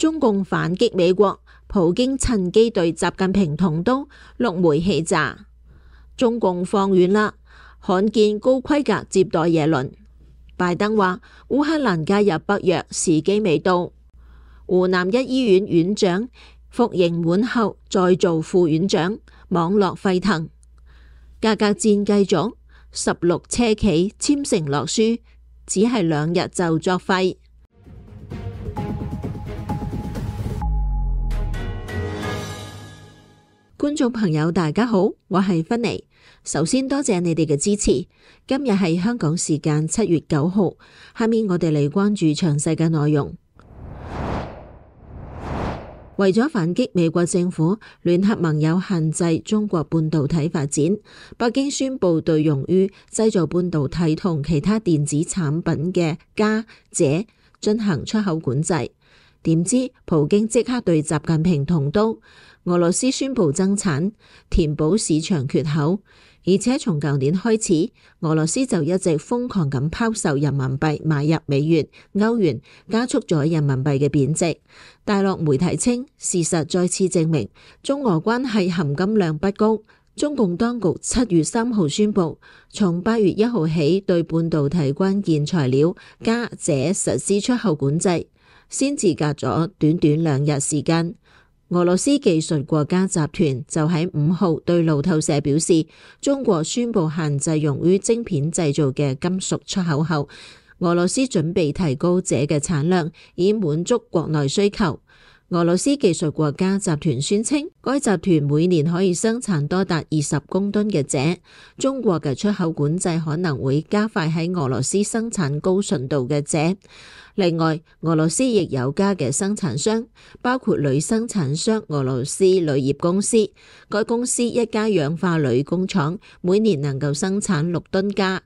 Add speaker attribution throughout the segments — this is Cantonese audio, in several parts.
Speaker 1: 中共反擊美國，普京趁機對習近平捅刀，6枚氣炸。中共放軟啦，罕見高規格接待耶倫。拜登話烏克蘭加入北約時機未到。湖南一醫院院長服刑滿後再做副院長，網絡沸騰。價格戰繼續，16車企簽承諾書，只係2日就作廢。觀眾朋友大家好，我係芬妮。首先多謝你哋嘅支持。今日係香港時間7月9號，下面我哋嚟關注詳細嘅內容。為咗反擊美國政府聯合盟友限制中國半導體發展，北京宣布對用於製造半導體同其他電子產品嘅鎵、鍺進行出口管制。點知普京即刻對習近平捅刀，俄羅斯宣布增產，填補市場缺口。而且從舊年開始，俄羅斯就一直瘋狂咁拋售人民幣買入美元、歐元，加速咗人民幣嘅貶值。大陸媒體稱，事實再次證明中俄關係含金量不高。中共當局7月3號宣布，從8月1號起對半導體關鍵材料鎵、鍺實施出口管制，先至隔咗短短2日時間。俄羅斯技術國家集團就喺5號對路透社表示，中國宣布限制用於晶片製造嘅金屬出口後，俄羅斯準備提高鍺嘅產量，以滿足國內需求。俄羅斯技術國家集團宣稱，該集團每年可以生產多達20公噸嘅鍺。中國嘅出口管制可能會加快喺俄羅斯生產高純度嘅鍺。另外，俄羅斯亦有鎵嘅生產商，包括鋁生產商俄羅斯鋁業公司。該公司一家氧化鋁工廠每年能夠生產6噸鎵。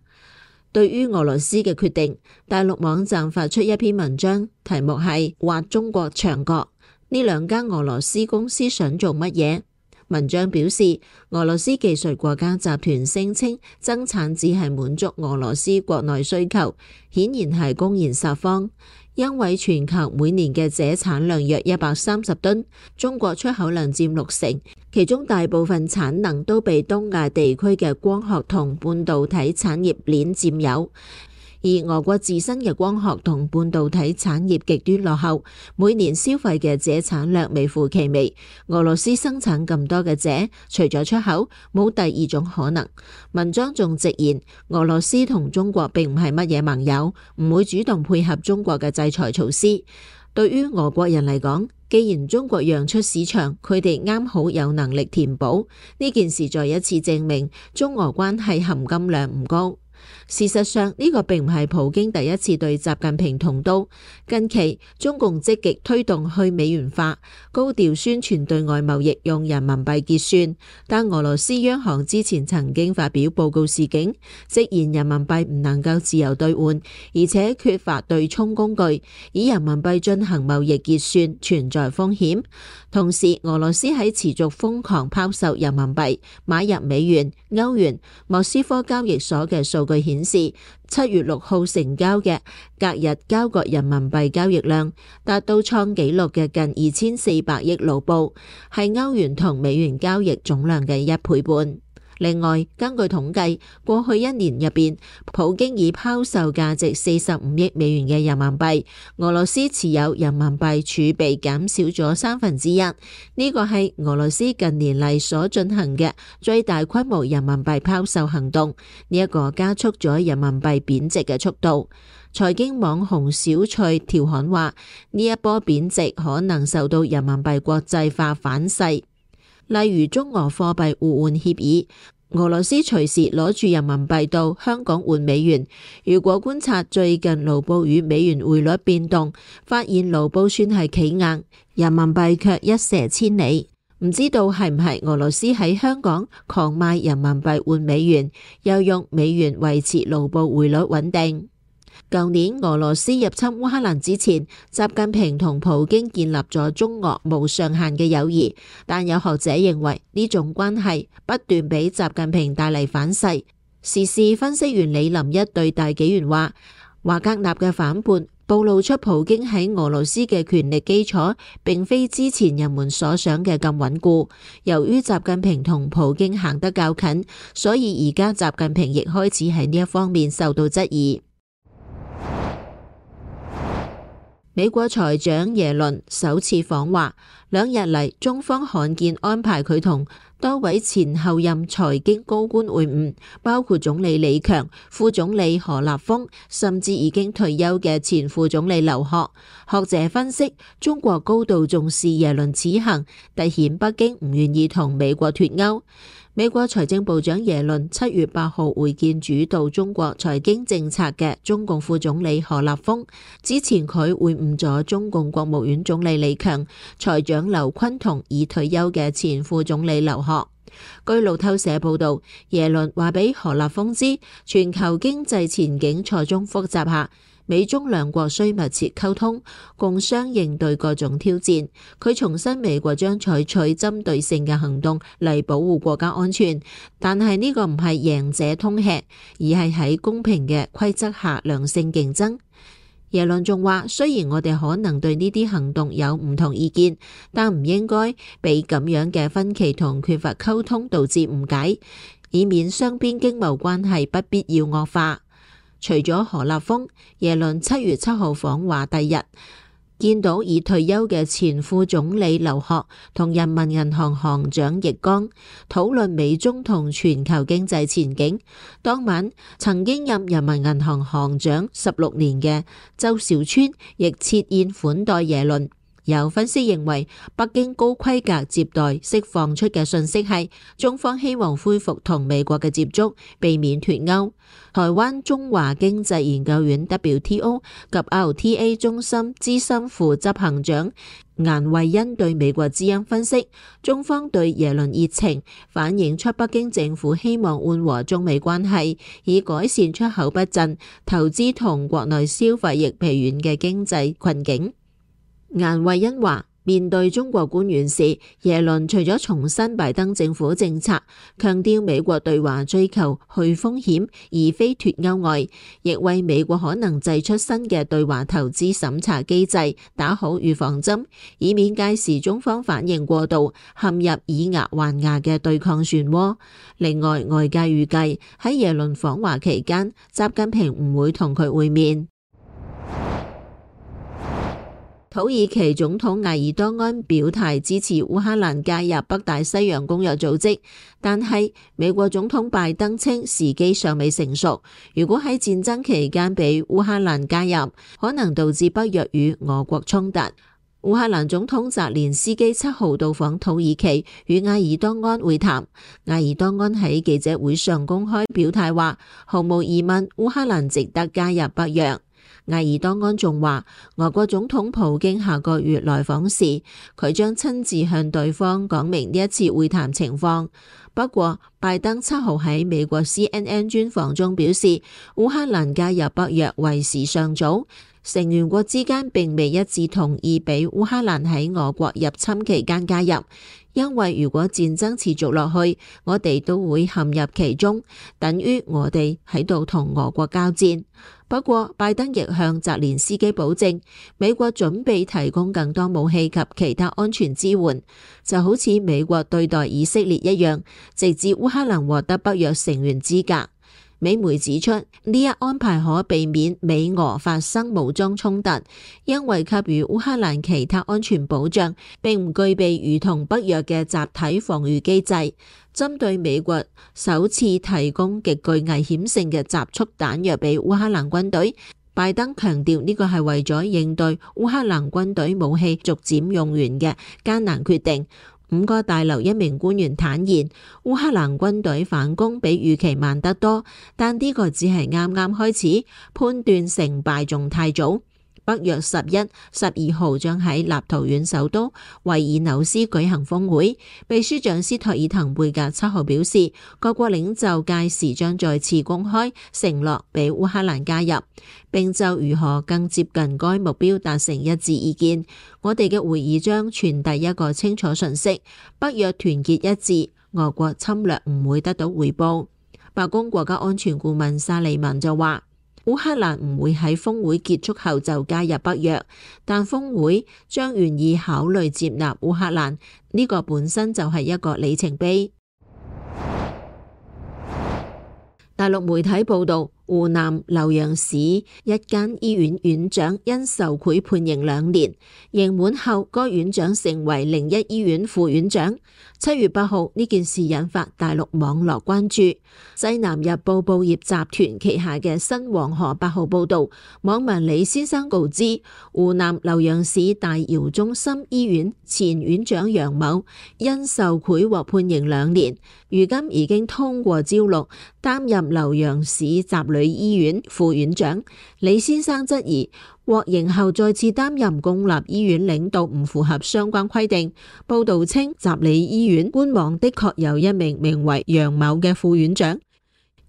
Speaker 1: 對於俄羅斯嘅決定，大陸網站發出一篇文章，題目係挖中國牆角。呢2間俄羅斯公司想做乜嘢？文章表示，俄羅斯技術國家集團聲稱增產只係滿足俄羅斯國內需求，顯然係公然撒謊。因為全球每年嘅鍺產量約130噸，中國出口量佔60%，其中大部分產能都被東亞地區嘅光學同半導體產業鏈佔有。而俄國自身嘅光學同半導體產業極端落後，每年消費嘅鍺產量微乎其微。俄羅斯生產咁多嘅鍺，除咗出口，冇第二種可能。文章仲直言，俄羅斯同中國並唔係乜嘢盟友，唔會主動配合中國嘅制裁措施。對於俄國人嚟講，既然中國讓出市場，佢哋啱好有能力填補。呢件事再一次證明中俄關係含金量唔高。事實上，呢個並唔係普京第一次對習近平捅刀。近期中共積極推動去美元化，高調宣傳對外貿易用人民幣結算。但俄羅斯央行之前曾經發表報告示警，直言人民幣唔能夠自由兌換，而且缺乏對沖工具，以人民幣進行貿易結算存在風險。同時，俄羅斯喺持續瘋狂拋售人民幣買入美元、歐元。莫斯科交易所嘅數據顯示，7月6號成交嘅隔日交割人民幣交易量達到創紀錄嘅近2400億盧布，係歐元同美元交易總量嘅1倍半。另外，根據統計，過去1年入邊，普京已拋售價值45億美元嘅人民幣，俄羅斯持有人民幣儲備減少咗1/3。呢個係俄羅斯近年嚟所進行嘅最大規模人民幣拋售行動，呢一個加速咗人民幣貶值嘅速度。財經網紅小翠調侃話，呢一波貶值可能受到人民幣國際化反噬。例如中俄貨幣互換協議，俄羅斯隨時攞住人民幣到香港換美元。如果觀察最近盧布與美元匯率變動，發現盧布算係企硬，人民幣卻一瀉千里。唔知道係唔係俄羅斯喺香港狂賣人民幣換美元，又用美元維持盧布匯率穩定。舊年俄羅斯入侵烏克蘭之前，習近平同普京建立咗中俄無上限嘅友誼，但有學者認為呢種關係不斷俾習近平帶嚟反噬。時事分析員李林一對大紀元話，華格納嘅反叛暴露出普京喺俄羅斯嘅權力基礎並非之前人們所想嘅咁穩固。由於習近平同普京行得較近，所以而家習近平亦開始喺呢一方面受到質疑。美國財長耶倫首次訪華，兩日嚟中方罕見安排佢同多位前後任財經高官會晤，包括總理李強、副總理何立峰，甚至已經退休嘅前副總理劉鶴。學者分析，中國高度重視耶倫此行，凸顯北京唔願意同美國脫鈎。美國財政部長耶倫7月8號會見主導中國財經政策嘅中共副總理何立峰，之前佢會晤咗中共國務院總理李強、財長劉昆同已退休嘅前副總理劉鶴。據路透社報道，耶倫話俾何立峰知，全球經濟前景錯綜複雜下，美中兩國需密切溝通，共商應對各種挑戰。佢重申美國將採取針對性嘅行動嚟保護國家安全，但係呢個唔係贏者通吃，而係喺公平嘅規則下良性競爭。耶倫仲話，雖然我哋可能對呢啲行動有唔同意見，但唔應該俾咁樣嘅分歧同缺乏溝通導致誤解，以免雙邊經貿關係不必要惡化。除咗何立峰，耶倫7月7號訪華第日，見到已退休嘅前副總理劉鶴同人民銀行行長易綱討論美中同全球經濟前景。當晚，曾經任人民銀行行長16年嘅周小川亦設宴款待耶倫。有分析認為，北京高規格接待釋放出嘅訊息係中方希望恢復同美國嘅接觸，避免脫鈎。台灣中華經濟研究院 WTO 及 RTA 中心資深副執行長顏惠恩對美國之音分析，中方對耶倫熱情，反映出北京政府希望緩和中美關係，以改善出口不振、投資同國內消費亦疲軟嘅經濟困境。顏惠恩話，面對中國官員時，耶倫除咗重申拜登政府政策，強調美國對華追求去風險而非脫鈎外，亦為美國可能祭出新嘅對華投資審查機制打好預防針，以免屆時中方反應過度，陷入以牙還牙嘅對抗漩渦。另外，外界預計喺耶倫訪華期間，習近平唔會同佢會面。土耳其總統埃爾多安表態支持烏克蘭加入北大西洋公約組織，但係美國總統拜登稱時機尚未成熟。如果喺戰爭期間俾烏克蘭加入，可能導致北約與俄國衝突。烏克蘭總統澤連斯基7號到訪土耳其，與埃爾多安會談。埃爾多安喺記者會上公開表態話，毫無疑問，烏克蘭值得加入北約。埃爾多安仲話，俄國總統普京下個月來訪時，佢將親自向對方講明呢一次會談情況。不過，拜登7號喺美國 CNN 專訪中表示，烏克蘭加入北約為時尚早，成員國之間並未一致同意俾烏克蘭喺俄國入侵期間加入，因為如果戰爭持續落去，我哋都會陷入其中，等於我哋喺度同俄國交戰。不過，拜登亦向澤連斯基保證，美國準備提供更多武器及其他安全支援，就好似美國對待以色列一樣，直至烏克蘭獲得北約成員資格。美媒指出，呢一安排可避免美俄發生武裝衝突，因為給予烏克蘭其他安全保障，並唔具備如同北約嘅集體防禦機制。針對美國首次提供極具危險性嘅集束彈藥俾烏克蘭軍隊，拜登強調呢個係為咗應對烏克蘭軍隊武器逐漸用完嘅艱難決定。5角大樓一名官員坦言，烏克蘭軍隊反攻比預期慢得多，但呢個只係啱啱開始，判斷成敗仲太早。北約11、12號將喺立陶宛首都維爾紐斯舉行峰會，秘書長斯托爾滕貝格7號表示，各國領袖屆時將再次公開承諾俾烏克蘭加入，並就如何更接近該目標達成一致意見。我哋嘅會議將傳遞一個清楚訊息：北約團結一致，俄國侵略唔會得到回報。白宮國家安全顧問沙利文就話，烏克蘭唔會喺峰會結束後就加入北約，但峰會將願意考慮接納烏克蘭，呢個本身就係一個里程碑。大陸媒體報道，湖南瀏陽市一間醫院院長因受賄判刑2年，刑滿後該院長成為另一醫院副院長。7月8號呢件事引發大陸網絡關注。西南日報報業集團旗下嘅新黃河8號報道，網民李先生告知，湖南瀏陽市大窯中心醫院前院長楊某因受賄獲判刑2年，如今已經通過招錄擔任瀏陽市翟旅醫院副院長。李先生質疑獲刑後再次擔任公立醫院領導唔符合相關規定。報道稱，翟旅醫院官網的確有一名名為楊某嘅副院長。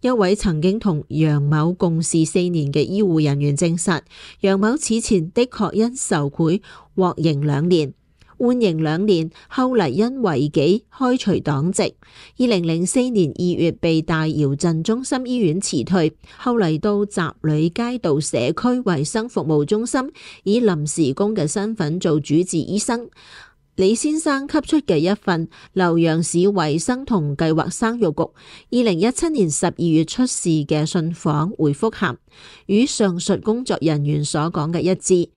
Speaker 1: 一位曾經同楊某共事4年嘅醫護人員證實，楊某此前的確因受賄獲刑2年。緩刑2年，後嚟因違紀開除黨籍。2004年2月被大窯鎮中心醫院辭退，後嚟到翟旅街道社區衛生服務中心以臨時工嘅身份做主治醫生。李先生給出嘅一份瀏陽市衛生同計劃生育局2017年12月出示嘅信訪回覆函，與上述工作人員所講嘅一致。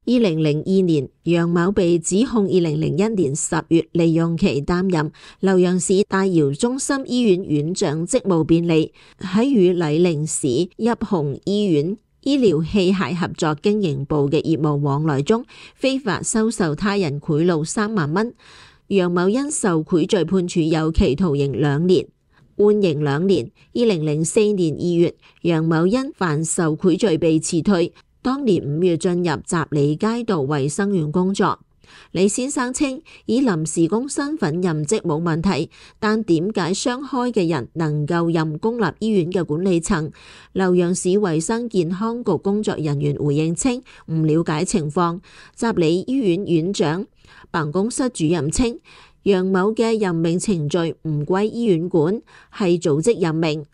Speaker 1: 2002年，楊某被指控2001年10月利用其擔任瀏陽市大窯中心醫院院長職務便利，喺與酈寧市邑紅醫院醫療器械合作經營部嘅業務往來中，非法收受他人賄賂3萬蚊。楊某因受賄罪判處有期徒刑2年，緩刑2年。2004年2月，楊某因犯受賄罪被辭退。當年5月進入翟旅街道衛生院工作。李先生稱，以臨時工身份任職冇問題，但點解雙開嘅人能夠任公立醫院嘅管理層？瀏陽市衛生健康局工作人員回應稱唔了解情況。翟旅醫院院長辦公室主任稱，楊某嘅任命程序唔歸醫院管，係組織任命。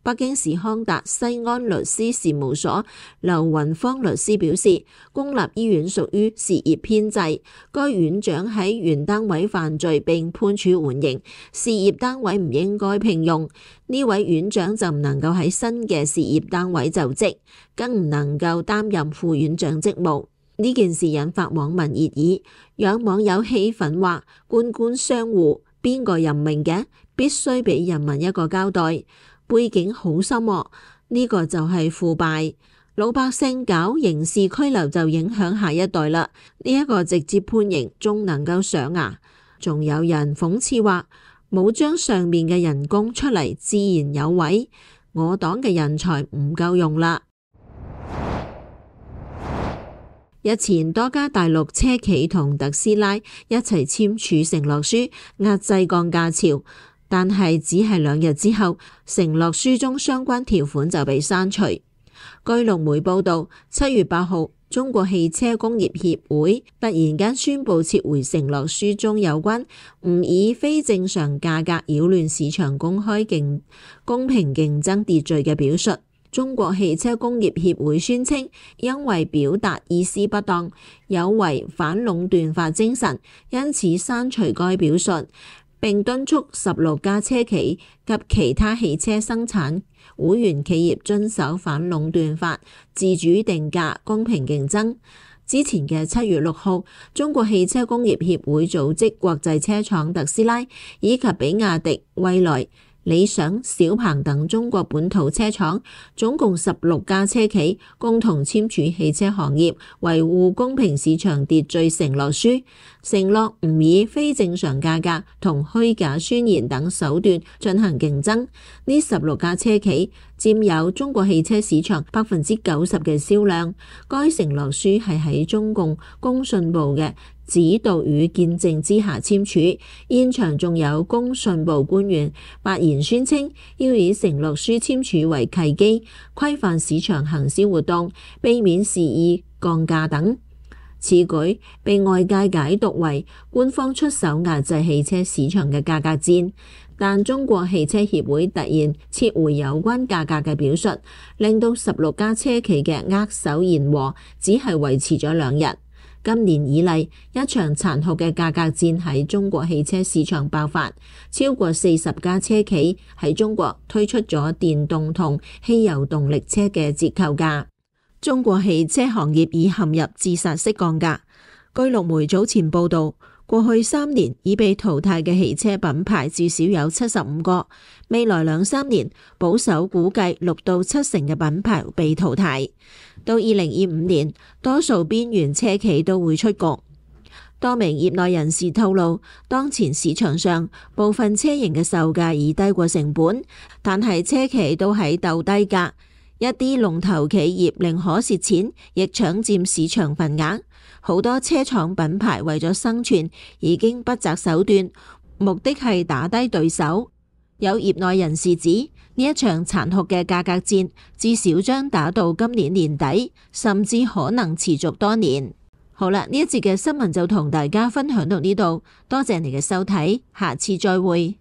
Speaker 1: 北京市康達西安律師事務所劉雲芳律師表示，公立醫院屬於事業編制，該院長喺原單位犯罪並判處緩刑，事業單位唔應該聘用呢位院長，就唔能夠喺新嘅事業單位就職，更唔能夠擔任副院長職務。呢件事引發網民熱議，有網友氣憤話：官官相護，邊個任命嘅？必須俾人民一個交代。背景好深喎，呢個就係腐敗。老百姓搞刑事拘留就影響下一代啦，呢一個直接判刑仲能夠上牙。仲有人諷刺話，冇將上面嘅人供出嚟，自然有位。我黨嘅人才唔夠用啦。日前多家大陸車企同特斯拉一齊簽署承諾書，壓制降價潮。但係只係2日之後，承諾書中相關條款就被刪除。據陸媒報導，7月8號，中國汽車工業協會突然間宣布撤回承諾書中有關唔以非正常價格擾亂市場公平競爭秩序嘅表述。中國汽車工業協會宣稱，因為表達意思不當，有違反壟斷法精神，因此刪除該表述。並敦促16家車企及其他汽車生產會員企業遵守反壟斷法，自主定價，公平競爭。之前嘅7月6號，中國汽車工業協會組織國際車廠特斯拉以及比亞迪、蔚來、理想、小鵬等中國本土車廠，總共16家車企共同簽署汽車行業維護公平市場秩序承諾書，承諾唔以非正常價格同虛假宣言等手段進行競爭。呢16家車企佔有中國汽車市場90%嘅銷量。該承諾書係喺中共工信部嘅指導與見證之下簽署，現場仲有工信部官員發言宣稱，要以承諾書簽署為契機，規範市場行銷活動，避免肆意降價等。此舉被外界解讀為官方出手壓制汽車市場嘅價格戰，但中國汽車協會突然撤回有關價格嘅表述，令到16家車企嘅握手言和只係維持咗2日。今年以嚟，一場殘酷嘅價格戰喺中國汽車市場爆發，超過40家車企喺中國推出咗電動同汽油動力車嘅折扣價。中國汽車行業已陷入自殺式降價。據陸媒早前報道，過去3年已被淘汰嘅汽車品牌至少有75個，未來2-3年保守估計6到7成嘅品牌被淘汰。到2025年，多數邊緣車企都會出局。多名業內人士透露，當前市場上部分車型嘅售價已低過成本，但係車企都喺鬥低價。一啲龍頭企業寧可蝕錢，亦搶佔市場份額。好多車廠品牌為咗生存，已經不擇手段，目的係打低對手。有業內人士指，呢一場殘酷嘅價格戰，至少將打到今年年底，甚至可能持續多年。好啦，呢一節嘅新聞就同大家分享到呢度，多謝你嘅收睇，下次再會。